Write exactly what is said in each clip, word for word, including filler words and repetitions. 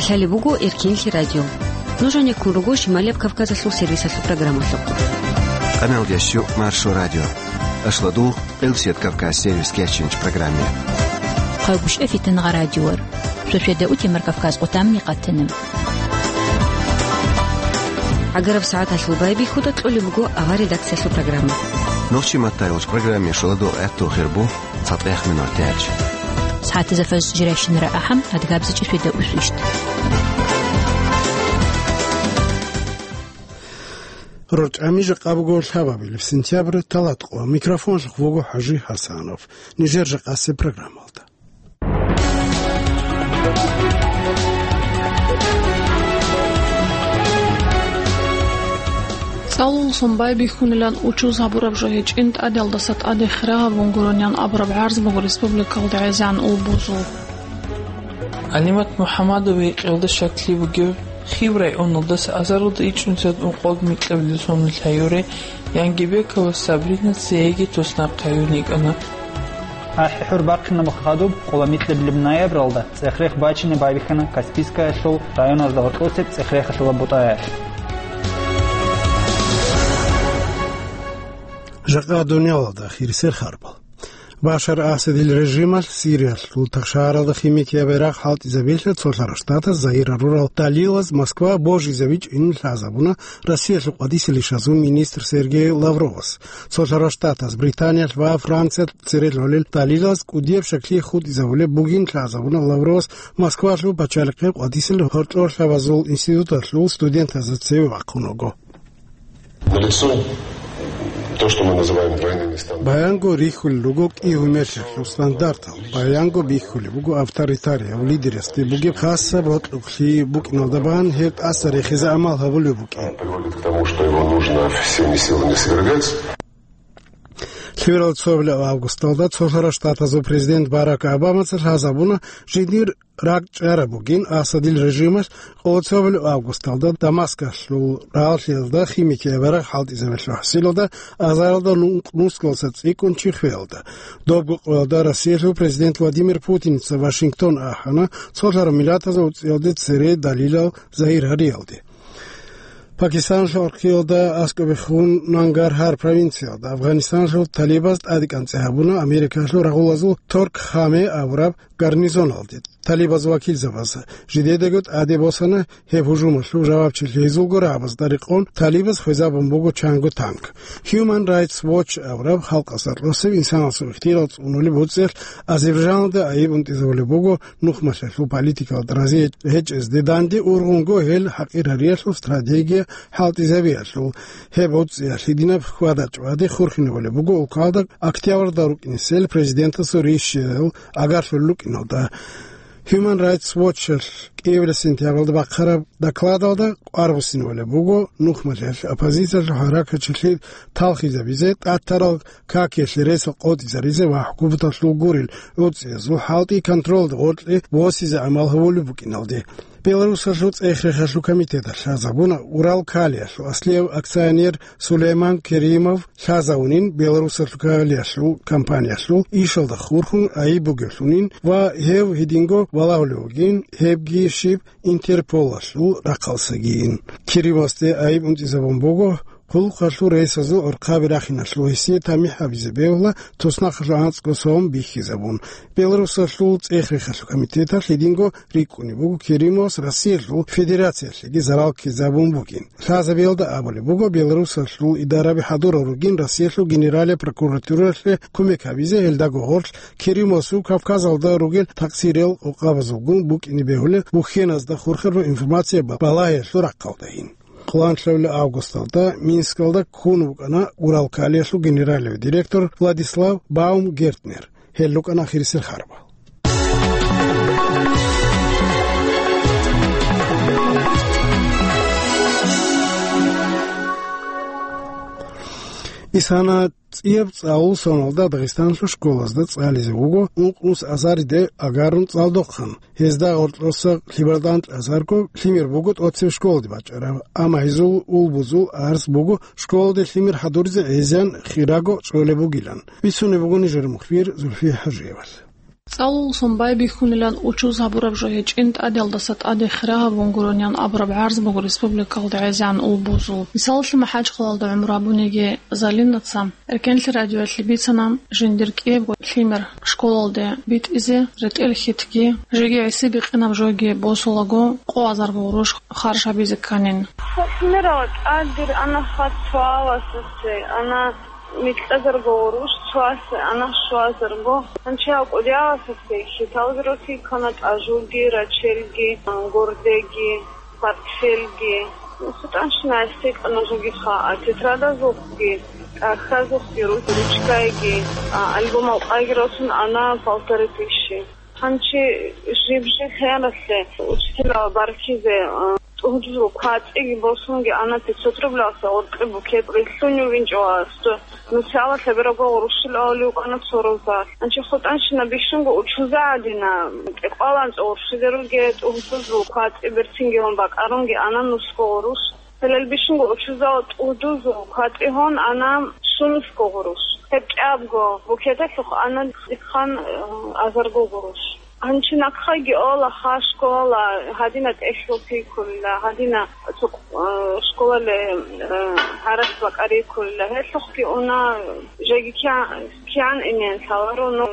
Талеб буго Эркинлъи радио. Нуж гьанеккун руго Шималияб Кавказалъул сервисалъул программалъухъ. Къаналдящу Маршо радио. Ашладугъ Къилсият Кавказ сервис кечинч программе. Хъайгъушев Фитнагъа радиор. Шошеда утемар Кавказ къутамни къатана. ГӀагараб сагӀаталъул байбихьуда кьолеб буго авар редакциялъул программа. Нохчи маттайолч программе шоладо гӀатту хирбу. ЦатӀех минуталъ. СагӀатазда фажр жирайщинара ахӀам, адгабзичӀи шведа усвищ. РорчӀами жакъа буго лъабабилеб сентябрь, талатӀкъо. Микрофонлъухъ вуго ХӀажи ХӀасанов. Нижер жакъасеб программалда. ЦӀалуллъун байбихьунилан учуз гьабураб жо гьечӀин, тӀадалдаса тӀаде хирагьабун гуронян абураб гӀарз буго республикалда гӀезегӀан улбузул. ГӀалимат МухӀамадовие кьелда щаклъи бугев, Хиб районалдаса азаралда ичӀнусият ункъоялда микьабилеб соналъ гьаюре, Янгибекова Сабрина цееги туснахъ гьаюн йикӀана. АхӀи-хӀур бахъинаб хадуб, къола микьабилеб ноябралда цӀех-рех бачине байбихьана Каспийскаялъул районазда гьоркьосеб цӀех-рехалъула бутӀаялъ. Жакъа дуниялалда хирисел харбал. Башар Асадил режималъ Сириялъул тахшагьаралда химикияб ярагъ хӀалтӀизабиялъе Цолъарал Штатаз загьир гьарурал далилаз Москва божизабичӀин лъазабуна Россиялъул къватӀисел ишазул министр Сергей Лавровас. Цолъарал Штатаз Британиялъ ва Франциялъ цере лъолел далилаз кӀудияб щаклъи хутӀизабулеб бугин лъазабуна Лавровас Москвалъул пачалихъе къватӀисел гьоркьорлъабазул институталъул студентазда цеве вахъун вуго. Налицо то, что мы называем двойными стандартами. Баянго рихьулел руго кӀигьумерлъиялъул стандартал, баянго бихьулеб буго авторитарияб лидерасде бугеб хасаб гьоркьохълъи букӀиналда бан гьеб тӀаса рехизе гӀамал гьабулеб букӀин. Приводит к тому, что его нужно всеми силами свергать. Лъугьарал цоабилеб августалда Цолъарал Штатазул президент Барак Обамаца лъазабуна жиндир ракӀчӀараб бугин Асадил режималъ. Къоло цоабилеб августалда Дамаскалъул рагьалъиялда химикияб ярагъ хӀалтӀизабиялъул хӀасилалда азаралда нункъ нускалъа цӀикӀкӀун чи хвеялда. Добго къоялда Россиялъул президент Владимир Путинца Вашингтон ахӀана, Цолъарал Миллатазул УцӀиялде цере далилал загьир гьариялде. Пакистаналъул архъиялда аскӀобехун Нангар гьар провинциялда Афганистаналъул талибаз тӀадекӀанцӀи гьабуна Америкалъул рагъулазул Торк-Хаме абураб гарнизоналде. Талибаз вакилзабаз жидедаго тӀаде босана гьеб гьужумалъул жавабчилъи, гьезулго рагӀабазда рекъон талибаз хвезабун буго чанго танк. Human Rights Watch абураб халкъалъ рокьосеб инсанасул ихтияр цӀунулеб уцӀиялъ Азербайджаналда айиб унтӀизабулеб буго нухмалъиялъул политикалда рази гьечӀезде данде, ургъунго гьел хӀакъир гьариялъул стратегия хӀалтӀизабиялъул. Гьеб уцӀиялъ гьединаб хьвада-чӀвади хурхинабулеб буго улкалда октябрьда рукӀинесел президентасул ришиял агарлъулел рукӀиналда. Human Rights Watch-алъ кӀиабилеб сентябралда бахъараб докладалда къварбуссинабулеб буго нухмалъиялъ оппозициялъул хӀаракатчилъи талхизабизе, тӀатарал какиялъе ресал къотӀизаризе ва хӀукуматалъул гурел уцӀиязул хӀалтӀи контролда гъоркье босизе гӀамал гьабулеб букӀиналде. Беларусалъул цӀех-рехалъул комитеталъ лъазабуна Урал калиялъул аслияв акционер Сулейман Керимов лъазавунин Беларусалъул калиялъул компаниялъул ишалда хурхун айиб бугевлъунин ва гьев гьединго балагьулев вугин, гьебги щиб Интерполалъул рахъалсагийин. Керимовасде айиб унтӀизабун буго хъулухъалъул рейсазул гӀурхъаби рахиналъул, гьесие тамихӀ гьабизе бегьула туснахъалъул анцӀго сом бихьизабун. Беларусалъул цӀех-рехалъул комитеталъ гьединго рикӀкӀунеб буго Керимовас Россиялъул Федерациялъеги зарал ккезабун бугин. Лъазабиялда абулеб буго, Беларусалъул идараби хӀадурал ругин Россиялъул Генералияб прокуратуралъе кумек гьабизе, гьелдаго гъорлъ Керимовасул Кавказалда ругел такъсириял къокъабазулгун букӀине бегьулеб бухьеназда хурхараб информация ба-, балагьиялъул рахъалдайин. Къоло лъабабилеб августалда Минскалда ккун вукӀана Урал калиялъул генералияб директор Владислав Баумгертнер. Гьел рукӀана ахирисел харбал. Исана цӀияб цӀалул соналда Дагъистаналъул школазда цӀализе вуго ункънус азариде агарун цӀалдохъан. Гьезда гъоркьоса лъибарда анкьазарго лъимер буго тӀоцебе школаде бачӀараб, амма гьезул улбузул арц буго школаде лъимер хӀадуризе гӀезегӀан хираго чӀолеб бугилан. Бицунеб буго нижер мухбир Зульфия ХӀажиевалъ. ЦӀалулсон байбихьунилан учуз гьабураб жо гьечӀин, тӀадеялдаса тӀаде хира гьабун гуронян абураб гӀарз буго республикалда гӀезегӀан улбузул. Мисалалъе, МахӀачхъалалда гӀумру гьабуниги Залинаца Эркенлъи радиоялъе бицана жиндир кӀиябго лъимер школалде битӀизе, ретӀел-хьитги, жеги гӀиси-бикъинаб жоги босулаго, къоазарго гъурущ харж гьабизе кканин. Лъимерала тӀадир ана хад цоаласасе, ана микьазарго гъурущ цоасе, ана щуазарго. Гьанчи гьав кӀудияласасе хьиталги рокьи ккана, тӀажуги, рачелги, гордеги, портфелги. СутӀанщина гӀиси кьана жоги хаа, тетрадазухъги, кагьазухъги, ру-, ручкайги, а, альбом алкъайги росун ана полторы тысячи. Гьанчи жиб-жиб хӀеялъе учителал баркизе, а, тӀугьдузул квацӀиги босунги ана пятьсот рублялъа гъоркье букет рилълъунев винчӀо ва сто. Нусиялалъе бераго гъурущил авлиукана цо руза. Гьанчи хутӀанщина бищунго учуза гӀадина, тӀекъвалан цо гъурщиде руге, тӀугьдузул квацӀи берцинги гьун бакӀарунги ана нусго гъурущ. Гьелел бищунго учузал тӀугьдузул квацӀи гьун ана щунусго гъурущ. Гьеб кӀиябго букеталъухъ ана дихъан, э, азарго гъурущ. Гьанчи нахъаги ола ха школала, гьадина тӀехьлъул пикулла, гьадина цо, э, школале, э, гьаракь бакӀарикулла. Гьелъухъги уна, жеги кигӀан, кигӀан инен лъаларо, ну,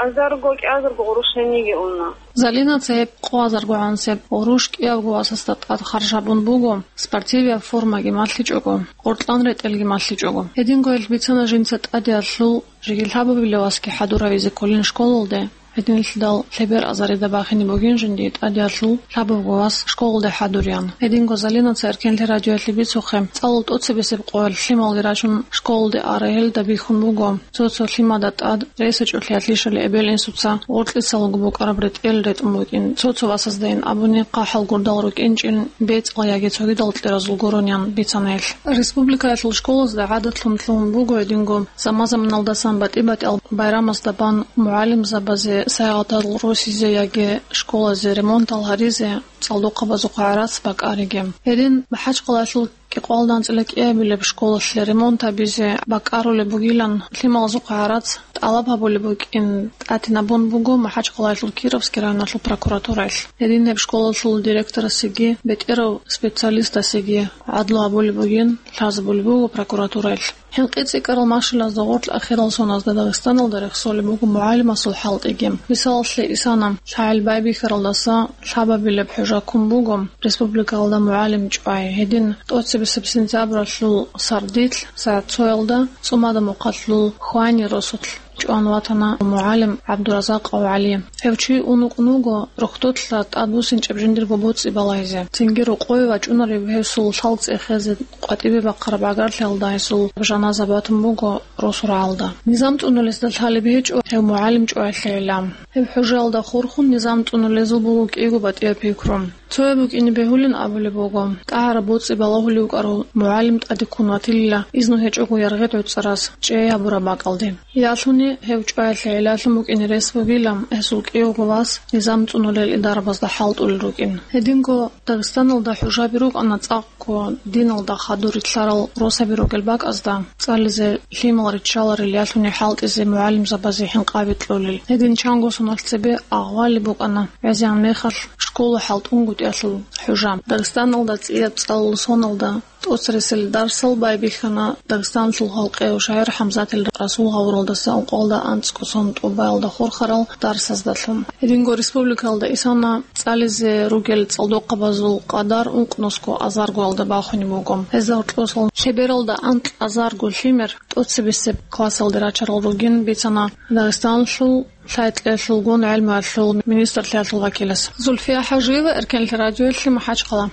азарго, кӀиазарго гъурущ гьениги уна. Залинаца гьеб къоазаргогӀан гъурущ кӀиябго васасда тӀад харж гьабун буго, спортивияб формаги малъичӀого, къоркьан ретӀелги малъичӀого. Гьединго гьел бицана жинца тӀадеялъул жеги лъабабилеб васги хӀадур гьавизе кколин школалде. Гьединлъидал лъебер азарида бахине бугин жиндие тӀадеялъул лъабабго вас школалде хӀадурян. Гьединго Залинаца Эркенлъи радиоялъе бицухъе, цӀалул тӀоцебесеб къоялъ лъималги рачун школалде ара гьелда бихьун буго. Цо-цо лъимада тӀад ресачӀолъиялъищали эбел-инсуца гъоркьисалго букӀараб ретӀел ретӀун букӀин, цо-цо васаздайин абуни хъахӀал гурдал рукӀинчӀин бецӀал яги цогидал кьеразул гуронян бицана гьелъ. Республикаялъул школазда гӀадатлъун лъугьун буго гьединго заман-заманалдасан батӀи-батӀиял байрамазда бан мугӀалимзабазе сайгъатал росизе яги школазе ремонтал гьаризе цӀалдохъабазухъ гӀарац бакӀариги. Гьедин МахӀачхъалаялъул кӀикъоялда анцӀила кӀиабилеб школалъе ремонт гьабизе бакӀарулеб бугилан лъималазухъ гӀарац тӀалаб гьабулеб букӀин тӀатинабун буго МахӀачхъалаялъул Кировский районалъул прокуратураялъ. Гьедин гьеб школалъул директорасеги бетӀерав специалистасеги гӀадлу гьабулеб бугин лъазабулеб буго прокуратураялъ. ХӀинкъи цӀикӀкӀарал машиназда гъорлъ ахирал соназда Дагъистаналда рехсолеб буго мугӀалимасул хӀалтӀиги. Мисалалъе, исана, лъагӀел байбихьаралдаса лъабабилеб хӀужа ккун буго республикалда мугӀалим чӀвай. Гьедин тӀоцебесеб сентябралъул сардилъ сагӀат цоялда ЦӀумада Мухъалъул Хвани росулъ чӀван ватана мугӀалим ГӀабдуразакъав ГӀали. Гьев чи ун вукӀун вуго рохьдолъа тӀадбуссинчӀеб жиндирго боцӀи балагьизе. Цинги рокъове вачӀунарев гьесул лъал цӀехезе къватӀибе бахъараб гӀагарлъиялда гьесул жаназа батун буго росу рагӀалда. Низам цӀунулесда лъалеб гьечӀо гьев мугӀалим чӀваялъе гӀилан. Гьеб хӀужаялда хурхун низам цӀунулезул буго кӀиго батӀияб пикру. Цояб букӀине бегьулин абулеб буго, тӀагӀараб боцӀи балагьулев вукӀарав мугӀалим тӀаде ккун ватилила изну гьечӀого яргъи гӀуцӀарас чӀей гьабураб бакӀалде. Ялъуни гьев чӀваялъе гӀилалъун букӀине рес бугила, гьесул кӀиявго вас низам цӀунулел идарабазда хӀалтӀулел рукӀин. Гьединго Дагъистаналда хӀужаби рукӀана цӀакъго диналда хадур рилълъарал росаби ругел бакӀазда, цӀализе лъимал риччаларел ялъуни хӀалтӀизе мугӀалимзабазе хӀинкъаби кьолел. Гьедин чанго соналъ цебе агъвали букӀана гӀезегӀан мехалъ школа хӀалтӀунгутӀиялъул хӀужа. Дагъистаналда цӀияб цӀалул соналда тӀоцересел дарсал байбихьана Дагъистаналъул халкъияв шагӀир ХӀамзатил Расул гъавуралдаса ункъоялда анцӀго сон тӀубаялда хурхарал дарсаздалъун. Гьединго республикалда исана цӀализе ругел цӀалдохъабазул къадар ункънусго азаргоялда бахунеб буго. Гьезда гьоркьосал лъебералда анкь азарго лъимер тӀоцебесеб классалде рачарал ругин бицана Дагъистаналъул лъай-кьеялъулгун гӀелмуялъул министрлъиялъул вакилас. Зульфия ХӀажиева, Эркенлъи радиоялъе, МахӀачхъала.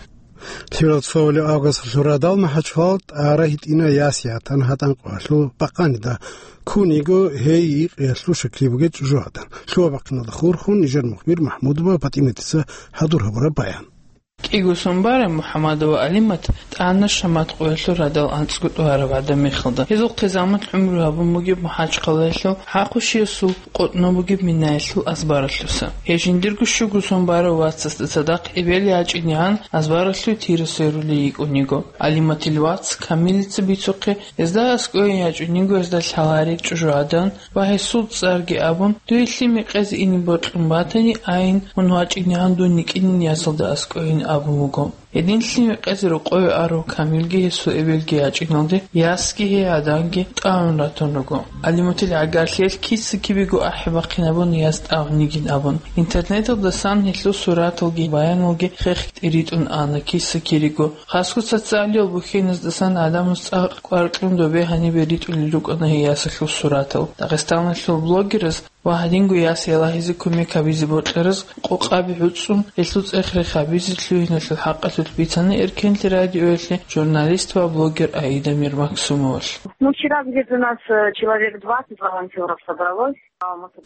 Лъирал цоли авгастлъурадал МахӀачхъалалъ тӀара гьитӀина ясиятан гьатӀан къвалъу бакъанида ккун йиго гьей йикъиялъул шаклъи бугел чӀужугӀадан. Лъугьа-бахъиналда хурхун нижер мухбир МахӀмудова ПатӀиматица хӀадур гьабураб баян. КӀиго сон бараб МухӀаммадова Алимат тӀана Шамат къоялъул радал анцӀго тӀугьараб гӀадамал мехалда. Гьезул хъизамат гӀумру гьабун бугеб МахӀачхъалаялъул хӀахъушиясул къотӀнов бугеб Минаялъул азбаралъуса. Гьей жиндирго щуго сон барав вацасда цадахъ эбел ячӀинегӀан азбаралъув Тирасайрулей йикӀун йиго. Алиматил вац Камилица бицухъе, гьезда аскӀове ячӀун йиго гьезда лъалареб чӀужугӀадан ва гьесул цӀарги абун, дуе лъим гьекъезе ине бокьун батани, айин, мун вачӀинегӀан дун йикӀинин ясалда аскӀовейин абун вуго. Гьедин лъим гьекъезе рокъове арав Камилги гьесул эбелги ячӀиналде ясги гьей гӀаданги тӀагӀун ратун руго. Алиматил гӀагарлъиялъ киса-кибего ахӀи-бахъинабуна яс тӀагӀун йигин абун. Интернеталдасан гьелъул сураталги баяналги хехги ритӀун ана киса-кириго. Хасго социалиял бухьеназдасан гӀадамаз цӀакъ кӀвар кьун добе гьанибе ритӀулел рукӀана гьей ясалъул суратал. Дагъистаналъул блогераз ва гьадинго яс ялагьизе кумек гьабизе бокьараз къокъаби гӀуцӀун, гьелъул цӀех-рех гьабизе лъугьиналъул хӀакъалъулъ бицана Эркенлъи радиоялъе журналист ва блогер Аида Мирмаксумовалъ. Ну, вчера где-то нас, э, человек двадцать волонтёров собралось.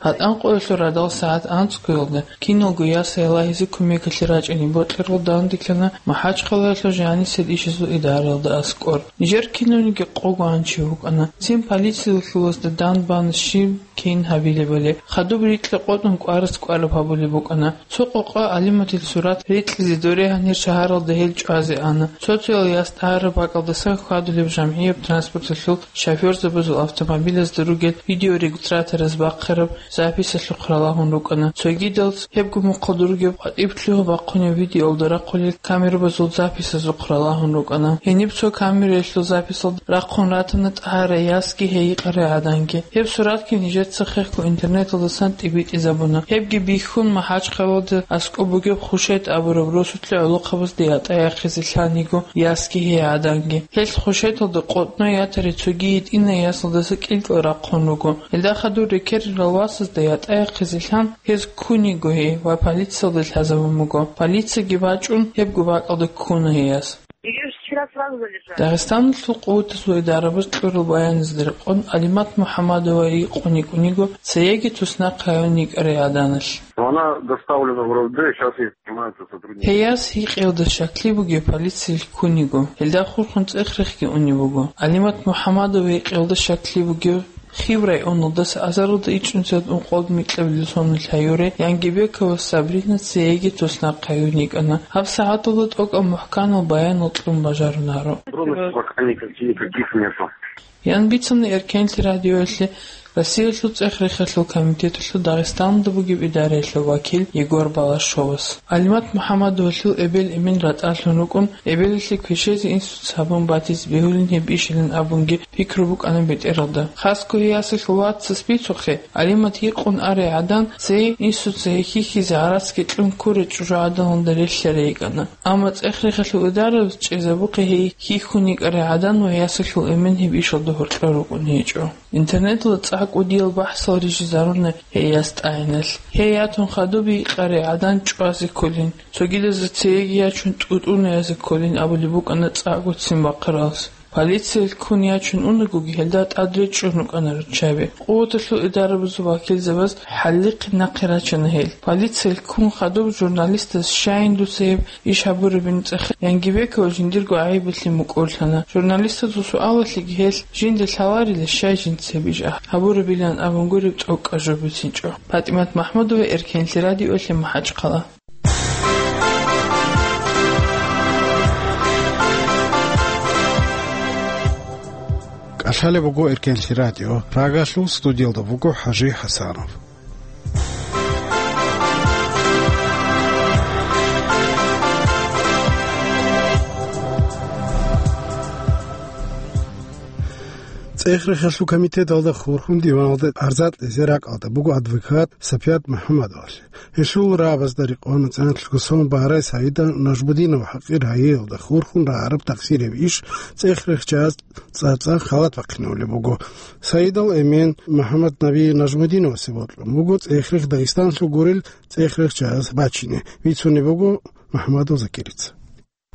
ГьатӀан къоялъул радал сагӀат анцӀгоялда киналго яс ялагьизе кумекалъе рачӀине бокьарал данделъана МахӀачхъалаялъул жанисел ишазул идараялда аскӀор. Нижер кинавниги къого гьанчи вукӀана. Цин полициялъулазда дандбана щиб кин гьабилебали. Хадуб рикьа къотӀун кӀварас кӀвараб гьабулеб букӀана. Цо къокъа Алиматил сурат рикьизе дорегьан гьеб шагьаралда гьел чӀвазе ана. Цо-цоял яс тӀагӀараб бакӀалдасан хьвадулеб жамгӀияб транспорталъул шофёрзабазул автомобилазда ругел видеорегистратораз бахъараб записалъухъ ралагьун рукӀана. Цогидал гьебго мухъалда ругеб къватӀиб лъугьа-бахъунеб видеоялда рахъулел камерабазул записазухъ ралагьун рукӀана. Гьениб цо камераялъул записалда рахъун ратана тӀагӀарай ясги гьей йикъарай гӀаданги. Гьеб суратги нижеца хехго интернеталдасан тӀибитӀизабуна. Гьебги бихьун, МахӀачхъалаялда аскӀоб бугеб Хушет абураб росулъе гӀолохъабазда ятӀа яхъизе лъан йиго ясги гьей гӀаданги. Гьелъ Хушеталда къотӀнов ятарай цоги гьитӀинай ясалдаса кӀилкӀал рахъун руго. Гьелда хадур рекерарал васазда ятӀа яхъизе лъан, гьез ккун йиго гьей ва полициялде лъазабун буго. Полицияги бачӀун, гьебго бакӀалда ккуна гьей яс. Её вчера сразу задержали. Дагъистаналъул къуватазул идарабаз кьурал баяназда рекъон, Алимат МухӀаммадова йикъун йикӀун йиго цееги туснахъ гьавун йикӀарай гӀаданалъ. Она доставлена в РОВД, сейчас ей занимаются сотрудники. Гьей яс йикъиялда щаклъи бугев полициялъ ккун йиго. Гьелда хурхун цӀех-рехги унеб буго. Алимат МухӀаммадова йикъиялда щаклъи бугев Хив районалдаса азаралда ичӀнусиялда ункъоялда микьабилеб соналъ гьаюрай Янгибекова Сабрина цееги туснахъ гьавун йикӀана. Гьаб сагӀаталда тӀокӀаб мухӀканал баянал кьун бажарунаро. Подробностей пока никаких, никаких нету. Ян бицана Эркенлъи радиоялъе Россиялъул цӀех-рехалъул комитеталъул Дагъистаналда бугеб идараялъул вакил Егор Балашовас. Алимат МухӀаммадовалъул эбел-эмен ратӀалъун рукӀун, эбелалъе квешезе инсуца гьабун батизе бегьулин гьеб ишилан абунги пикру букӀана бетӀералда. Хасго гьей ясалъул вацас бицухъе, Алимат йикъун арай гӀадан цее инсуца гьей хьихьизе гӀарацги кьун ккурай чӀужугӀаданалда релълъарай йикӀана. Амма цӀех-рехалъул идарабаз чӀезабухъе гьей хьихьун йикӀарай гӀадан ва ясалъул эмен гьеб ишалда гьоркьор рукӀун гьечӀо. Интернеталда цӀакъ кӀудиял бахӀсал рижизаруна гьей яс тӀагӀиналъ. Гьей ятун хадуб йикъарай гӀадан чӀвазе кколин, цогидазда цееги ячун тӀутӀуназе кколин абулеб букӀана цӀакъго ццин бахъаралас. Полициялъ ккун ячун унагоги, гьелда тӀад речӀчӀун рукӀана руччаби. Къуваталъул идарабазул вакилзабаз хӀалихъе нахъе рачана гьел. Полициялъ ккун хадуб журналистаз щайин дуца гьеб иш гьабурабин цӀехе Янгибекова жиндирго гӀайибалъе мукӀурлъана. Журналистазул суалалъеги гьел жинда лъаларила, щай жинца гьеб иш гьабурабилан абун гуреб тӀокӀаб жо бицинчӀо. ПатӀимат МахӀмудова, Эркенлъи радиоялъе, МахӀачхъала. КӀалъалеб буго Эркенлъи радио. Рагалъул студиялда буго ХӀажи ХӀасанов. ЦӀех-рехалъул комитеталда хурхун диваналда арза кьезе ракӀалда буго адвокат Сапият МухӀаммадовалъе. Гьелъул рагӀабазда рекъон цӀех-рехалъул сон барай Саида Нажмудинова хӀакъир гьайиялда хурхун рагӀараб такъсир гьеб иш цӀех-рехчияс цӀацӀан халат бахъинабулеб буго. Саидал эмен МухӀаммаднаби Нажмудиновасе бокьун буго цӀех-рех Дагъистаналъул гурел цӀех-рехчияс бачине, бицунеб буго МухӀаммадов Закирица.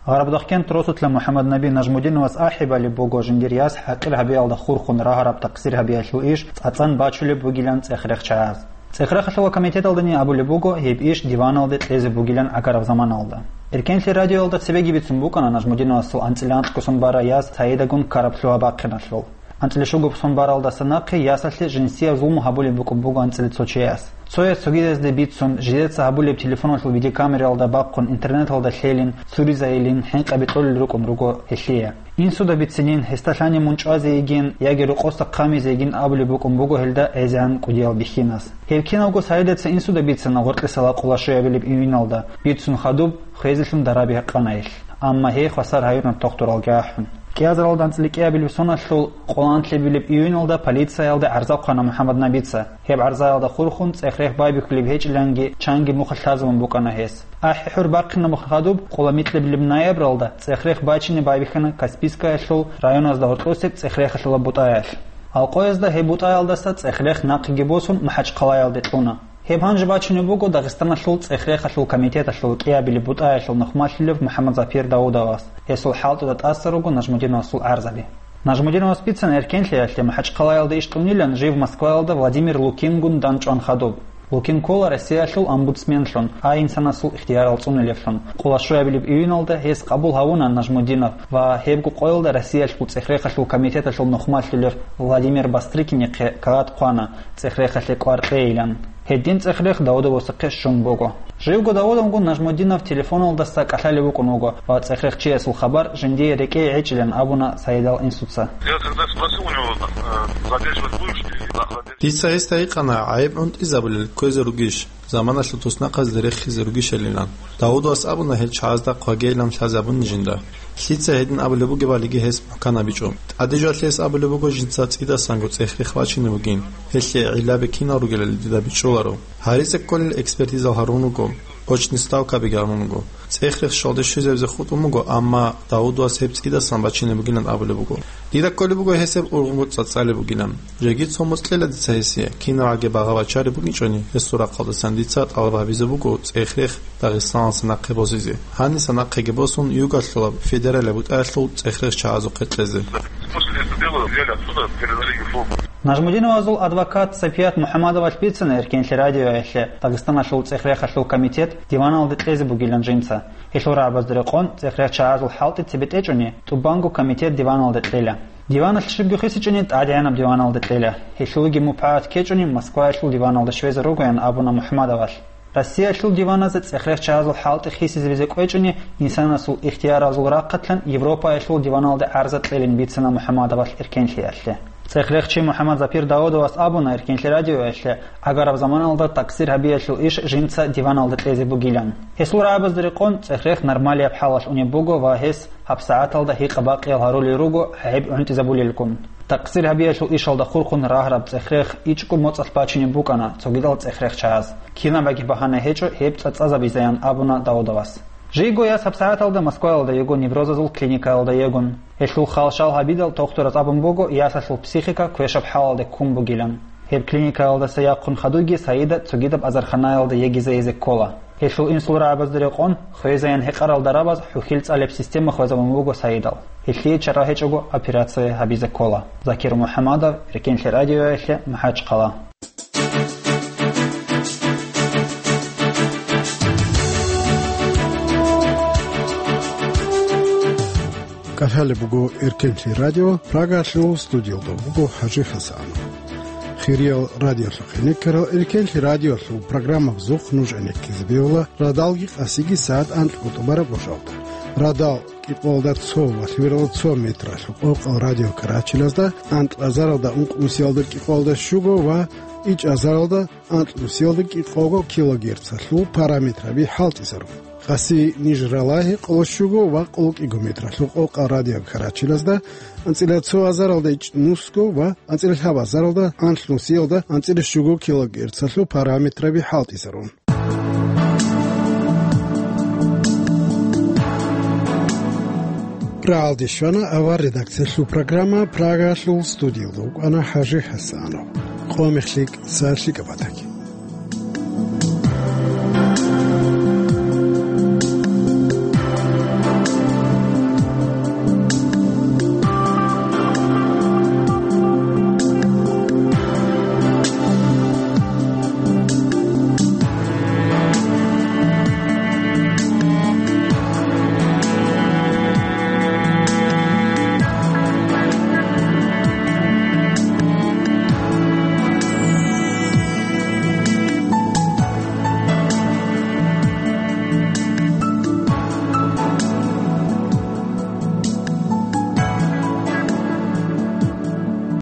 Гъарабдахъкент росулъа МухӀаммаднаби Нажмудиновас ахӀи балеб буго жиндир яс хӀакъир гьабиялда хурхун рагӀараб такъсир гьабиялъул иш цӀацӀан бачулеб бугилан цӀех-рехчаяс. ЦӀехрехалъула комитеталдани абулеб буго гьеб иш диваналде кьезе бугилан гӀагараб заманалда. Эркенлъи радиоялда цебеги бицун букӀана Нажмудиновасул анцӀила анкьго сон бара яс Саидагун ккараб лъугьа-бахъиналъул. АнцӀила щуго сон баралдаса нахъе ясалъе жинсияб зулму гьабулеб букӀун буго анцӀила цо чияс. Цояс цогидазде бицун, жидеца гьабулеб телефоналъул видеокамералда бахъун, интернеталда лъелин, цуризайилин, хӀинкъаби кьолел рукӀун руго гьелъие. Инсуда бицинин, гьесда лъани мун чӀвазе йигин яги рокъоса хъамизе йигин абулеб букӀун буго гьелда гӀезегӀан кӀудиял бихьинас. Гьеб киналго Саидаца инсуда бицана гъоркьиса лакъула щуябилеб июналда, бицун хадуб, хвезелъун дараби гьекъана гьелъ. Амма гьей хвасар гьаюна тохтуралги ахӀун. КӀиазаралда анцӀила кӀиабилеб соналъул къоло анлъабилеб июналда полициялда гӀарза хъвана МухӀаммад Набица. Гьеб гӀарзаялда хурхун цӀехрех байбихьулеб гьечӀиланги чанги мухь лъазабун букӀана гьес. АхӀи-хӀур бахъинаб хадуб, къоло микьабилеб ноябралда цӀехрех бачине байбихьана Каспийскаялъул районазда гьоркьосеб цӀехрехалъула бутӀаялъ. Алкъоязда гьеб бутӀаялдаса цӀехрех нахъеги босун МахӀачхъалаялде кьуна. Гьеб гьанже бачунеб буго Дагъистаналъул цӀехрехалъул комитеталъул кӀиабилеб бутӀаялъул нухмалъулев МухӀаммад Запир Давудовас, гьесул хӀалтӀуда тӀаса руго Нажмудиновасул гӀарзаби. Нажмудиновас бицана эркенлъиялъе МахӀачхъалаялда иш кьунилан жив Москваялда Владимир Лукингун дандчӀван хадуб. Лукин ккола Россиялъул омбудсменлъун, а инсанасул ихтиярал цӀунилевлъун, къоло щуябилеб июналда гьес къабул гьавуна Нажмудинов ва гьебго къоялда Россиялъул цӀехрехалъул комитеталъул нухмалъулев Владимир Бастрыкинихъе кагъат хъвана цӀехрехалъе кӀвар кьейилан. Гьедин цӀехрех Давудовасухъе щун буго. Живго Давудовгун Нажмудинов телефоналдаса кӀалъалев вукӀун вуго ва цӀехрехчиясул хабар жиндие рекӀее гӀечӀилан абуна Саидал инсуца. Я когда спросил у него, э, задерживать будешь или охранять? Дица гьесда гьикъана, гӀайиб гӀунтӀизабулел кквезе ругищ, заманалъул туснахъазде рехизе ругищалилан. Давудовас абуна гьел чагӀазда хъвагейилан лъазабуни жинда. Лъица гьедин абулеб бугебалиги гьес мухӀканабичӀо. ТӀаде жоялъе гьес абулеб буго жинца цӀидасанго цӀехрех бачине бугин, гьелъие гӀиллаби кинал ругелали дида бичӀчӀуларо. Гьаризе кколел экспертизал гьарун руго, очни ставкаби гьарун руго. ЦӀехрех щвалде щвезабизе хутӀун буго, амма Давудовас гьеб цӀидасан бачине бугилан абулеб буго. Дида кколеб буго гьес гьеб ургъунго цӀацӀалеб бугилан. Жеги цо моцӀ кьела дица гьесие, кинабгӀаги багъа бачареб букӀинчӀони, гьесул рахъалдасан дица тӀалаб гьабизе буго цӀехрех Дагъистаналдаса нахъе босизе. Гьаниса нахъеги босун, югалъулаб федералияб бутӀаялъул цӀехрех чагӀазухъе кьезе. После этого дела взяли отсюда, передали ГФУ. Нажмудиновазул адвокат Сапият МухӀаммадовалъ бицана Эркенлъи радиоялъе Дагъистаналъул цӀехрехалъул комитет диваналде кьезе бугилан жинца. Гьелъул рагӀабазда рекъон цӀехрех чагӀазул хӀалтӀи цебетӀечӀони, тӀубанго комитет диваналде кьела. Диваналъ щибго хисичӀони тӀадегӀанаб диваналде кьела. Гьелъулги мупагӀат ккечӀони Москваялъул диваналде щвезе ругоян абуна МухӀаммадовалъ. Россиялъул диваназе цӀехрех чагӀазул хӀалтӀи хисизабизе кӀвечӀони, инсанасул ихтияразул рахъалъан Европаялъул диваналде гӀарза кьелин бицана МухӀаммадовалъ Эркенлъиялъе. ЦӀехрехчи МухӀаммад Запир Давудовас абуна Эркенлъи радиоялъе, гӀагараб заманалда такъсир гьабиялъул иш жинца диваналда кьезе бугилан. Гьесул рагӀабазда рекъон цӀехрех нормалияб хӀалалъ унеб буго ва гьес гьабсагӀаталда гьикъа-бакъиял гьарулел руго гӀайиб гӀунтӀизабулелгун. Такъсир гьабиялъул ишалда хурхун рагьараб цӀехрех ичӀго моцӀалъ бачинеб букӀана цогидал цӀехрех чагӀаз. Кинабаги багьана гьечӀо гьеб цӀацӀазабизаян абуна Давудовас. Жийго яс гьабсагӀаталда Москваялда йиго неврозазул клиникаялда йигун. Гьелъул хал-шал гьабидал тохтураз абун буго ясалъул психика квешаб хӀалалде ккун бугилан. Гьеб клиникаялдаса яхъун хадуги Саида цогидаб азарханаялда йигизайизе ккола. Гьелъул инсул рагӀабазда рекъон, хвезаян гьекъарал дарабаз хӀухьил цӀалеб система хвезабун буго Саидал. Гьелъие чара гьечӀого операция гьабизе ккола. Закир МухӀаммадов, Эркенлъи радиоялъе, МахӀачхъала. КӀалъалеб буго Эркенлъи радио, Прагалъул студиялда буго ХӀажи ХӀасанов. Хириял радиолъухъе никарал, Эркенлъи радиолъул программабазухъ нуж гӀенеккизе бегьула радалги къасиги сагӀат анкьго тӀубараб гъожалда. Радал кӀикъоялда цо ва лъугьаралда цо метралъул къокъал радио Карачилазда, анкьазаралда ункънусиялда кӀикъоялда щуго ва ичӀазаралда анкьнусиялда кӀикъого килогерцалъул параметраби хӀалтӀизарун. Къаси ниж ралагьи къоло щуго ва къоло кӀиго метралъул къокъал радио Карачилазда, анцӀила цо азаралда ичӀнусго ва анцӀила лъабазаралда анлънусиялда анцӀила щуго килогерцалъул параметраби хӀалтӀизарун. Рагьалде щвана авар редакциялъул программа, Прагалъул студиялда вукӀана ХӀажи ХӀасанов. Къо мехлъи, сахлъи кӀабатаги.